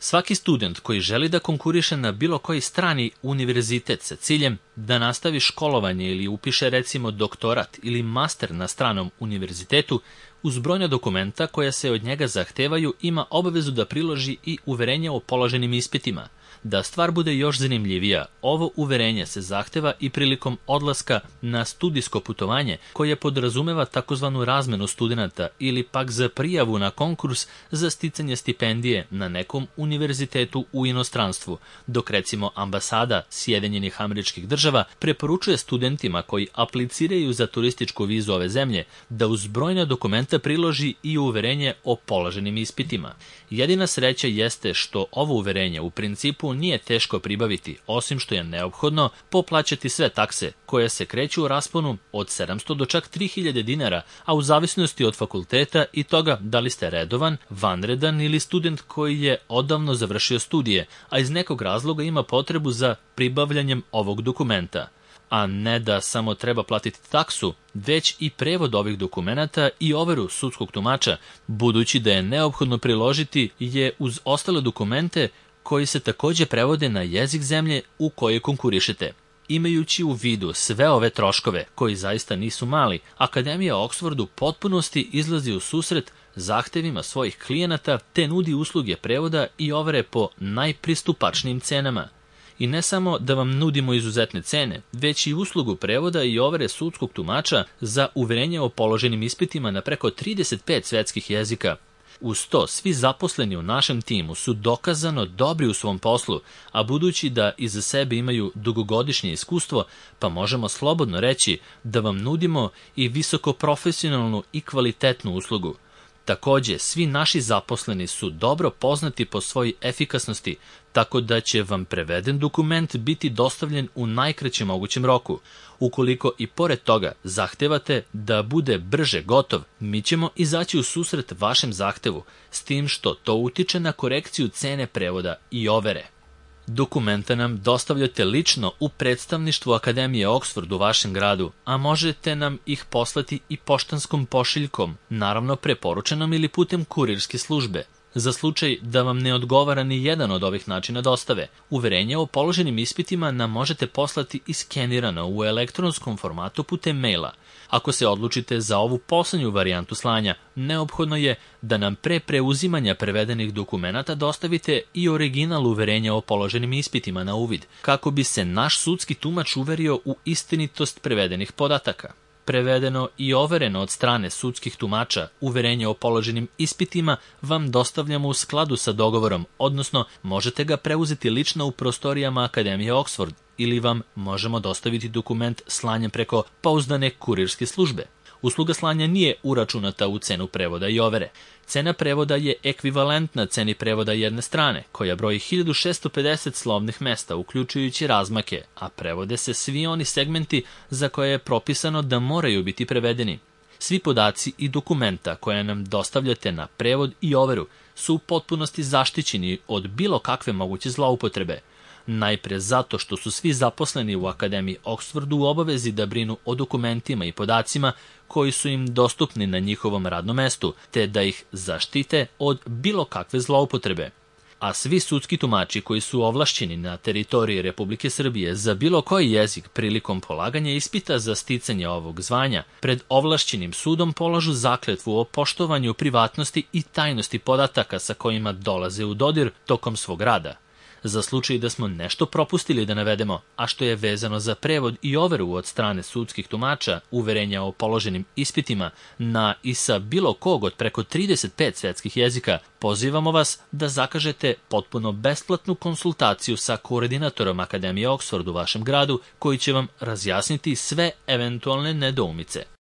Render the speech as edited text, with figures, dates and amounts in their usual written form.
Svaki student koji želi da konkuriše na bilo koji strani univerzitet sa ciljem da nastavi školovanje ili upiše recimo doktorat ili master na stranom univerzitetu, uz brojna dokumenta koja se od njega zahtevaju ima obavezu da priloži i uverenje o položenim ispitima. Da stvar bude još zanimljivija, ovo uverenje se zahteva i prilikom odlaska na studijsko putovanje koje podrazumeva takozvanu razmenu studenata ili pak za prijavu na konkurs za sticanje stipendije na nekom univerzitetu u inostranstvu, dok recimo ambasada Sjedinjenih Američkih Država preporučuje studentima koji apliciraju za turističku vizu ove zemlje da uz brojna dokumenta priloži i uverenje o položenim ispitima. Jedina sreća jeste što ovo uverenje u principu nije teško pribaviti, osim što je neophodno poplaćati sve takse, koje se kreću u rasponu od 700 do čak 3000 dinara, a u zavisnosti od fakulteta i toga da li ste redovan, vanredan ili student koji je odavno završio studije, a iz nekog razloga ima potrebu za pribavljanjem ovog dokumenta. A ne da samo treba platiti taksu, već i prevod ovih dokumenata i overu sudskog tumača, budući da je neophodno priložiti je uz ostale dokumente koji se takođe prevode na jezik zemlje u kojoj konkurišete. Imajući u vidu sve ove troškove, koji zaista nisu mali, Akademija Oxford u potpunosti izlazi u susret zahtevima svojih klijenata te nudi usluge prevoda i overe po najpristupačnijim cenama. I ne samo da vam nudimo izuzetne cene, već i uslugu prevoda i overe sudskog tumača za uverenje o položenim ispitima na preko 35 svetskih jezika. Uz to, svi zaposleni u našem timu su dokazano dobri u svom poslu, a budući da iza sebe imaju dugogodišnje iskustvo, pa možemo slobodno reći da vam nudimo i visoko profesionalnu i kvalitetnu uslugu. Takođe, svi naši zaposleni su dobro poznati po svojoj efikasnosti, tako da će vam preveden dokument biti dostavljen u najkraćem mogućem roku. Ukoliko i pored toga zahtevate da bude brže gotov, mi ćemo izaći u susret vašem zahtevu, s tim što to utiče na korekciju cene prevoda i overe. Dokumenta nam dostavljate lično u predstavništvu Akademije Oxford u vašem gradu, a možete nam ih poslati i poštanskom pošiljkom, naravno preporučenom ili putem kurirske službe. Za slučaj da vam ne odgovara ni jedan od ovih načina dostave, uverenje o položenim ispitima nam možete poslati iskenirano u elektronskom formatu putem maila. Ako se odlučite za ovu poslednju varijantu slanja, neophodno je da nam pre preuzimanja prevedenih dokumenata dostavite i original uverenja o položenim ispitima na uvid, kako bi se naš sudski tumač uverio u istinitost prevedenih podataka. Prevedeno i overeno od strane sudskih tumača, uverenje o položenim ispitima vam dostavljamo u skladu sa dogovorom, odnosno možete ga preuzeti lično u prostorijama Akademije Oxford ili vam možemo dostaviti dokument slanjem preko pouzdane kurirske službe. Usluga slanja nije uračunata u cenu prevoda i overe. Cena prevoda je ekvivalentna ceni prevoda jedne strane, koja broji 1650 slovnih mesta, uključujući razmake, a prevode se svi oni segmenti za koje je propisano da moraju biti prevedeni. Svi podaci i dokumenta koje nam dostavljate na prevod i overu su u potpunosti zaštićeni od bilo kakve moguće zloupotrebe. Najpre zato što su svi zaposleni u Akademiji Oxfordu u obavezi da brinu o dokumentima i podacima koji su im dostupni na njihovom radnom mestu, te da ih zaštite od bilo kakve zloupotrebe. A svi sudski tumači koji su ovlašćeni na teritoriji Republike Srbije za bilo koji jezik prilikom polaganja ispita za sticanje ovog zvanja, pred ovlašćenim sudom polažu zakletvu o poštovanju privatnosti i tajnosti podataka sa kojima dolaze u dodir tokom svog rada. Za slučaj da smo nešto propustili da navedemo, a što je vezano za prevod i overu od strane sudskih tumača, uverenja o položenim ispitima na i sa bilo kog od preko 35 svetskih jezika, pozivamo vas da zakažete potpuno besplatnu konsultaciju sa koordinatorom Akademije Oxford u vašem gradu, koji će vam razjasniti sve eventualne nedoumice.